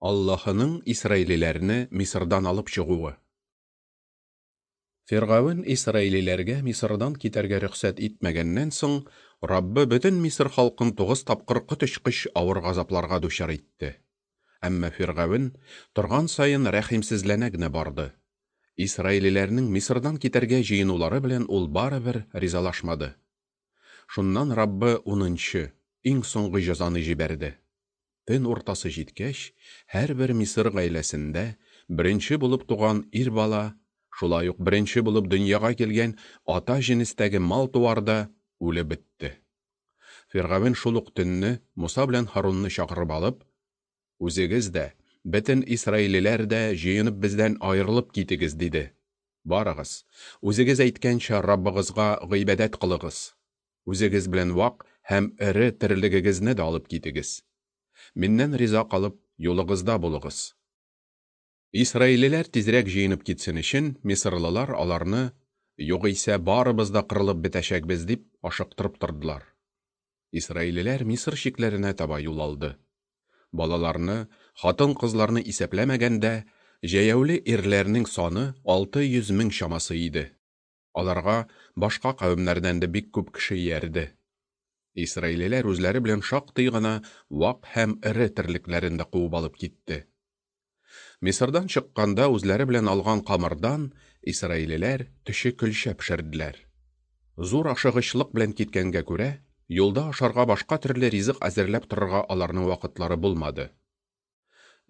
Аллаһының исраилиләрне Мисырдан алып чыгуы. Фиргавен исраилиләргә Мисырдан китәргә рөхсәт итмәгәннән соң, Раббы бөтен Мисыр халкын тугыз тапкыр коточкыч авыр газапларга дучар итте. Әмма фиргавен торган саен рәхимсезләнә генә барды. Исраилиләрнең Мисырдан китәргә җыенулары белән ул барыбер ризалашмады. Шуннан Раббы унынчы, иң соңгы җәзаны җибәрде. Төн уртасы җиткәч, һәрбер Мисыр гаиләсендә беренче булып туган ир бала, шулай ук беренче булып дөньяга килгән ата җенестәге мал-туар да үлеп бетте. Фиргавен шул ук төнне Муса белән Һарунны чакырып алып, Үзегез дә, бөтен исраилиләр дә җыенып бездән аерылып китегез, диде. Барыгыз, үзегез әйткәнчә Раббыгызга гыйбадәт кылыгыз. Үзегез белән вак һәм эре терлегегезне дә алып китегез. Миннән риза калып, юлыгызда булыгыз. Исраилиләр тизрәк җыенып китсен өчен, мисырлылар аларны, югыйсә барыбыз да кырылып бетәчәкбез дип, ашыктырып тордылар. Исраилиләр Мисыр чикләренә таба юл алды. Балаларны, хатын-кызларны исәпләмәгәндә, җәяүле ирләрнең саны 600 мең чамасы иде. Аларга башка кавемнәрдән дә бик күп кеше иярде. Исраилиләр үзләре белән шактый гына вак һәм эре терлекләрен дә куып алып китте. Мисырдан чыкканда үзләре белән алган камырдан исраилиләр төче көлчә пешерделәр. Зур ашыгычлык белән киткәнгә күрә, юлда ашарга башка төрле ризык әзерләп торырга аларның вакытлары булмады.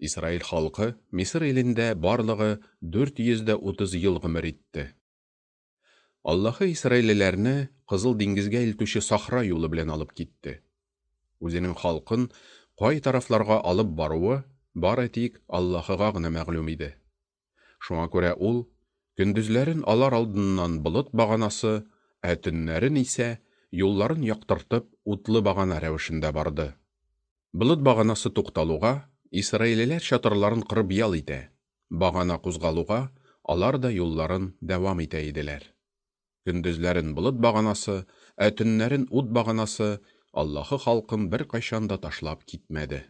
Исраил халкы Мисыр илендә барлыгы 430 ел гомер итте. Аллаһы исраилиләрне Кызыл диңгезгә илтүче сахра юлы белән алып китте. Үзенең халкын кай тарафларга алып баруы бары тик Аллаһыга гына мәгълүм иде. Шуңа күрә ул көндезләрен алар алдыннан болыт баганасы, ә төннәрен исә юлларын яктыртып утлы багана рәвешендә барды. Болыт баганасы тукталуга, исраилиләр чатырларын корып ял итә, багана кузгалуга, алар да юлларын дәвам итә иделәр. Көндезләрен болыт баганасы, ә төннәрен ут баганасы Аллаһы халкын беркайчан да ташлап китмәде.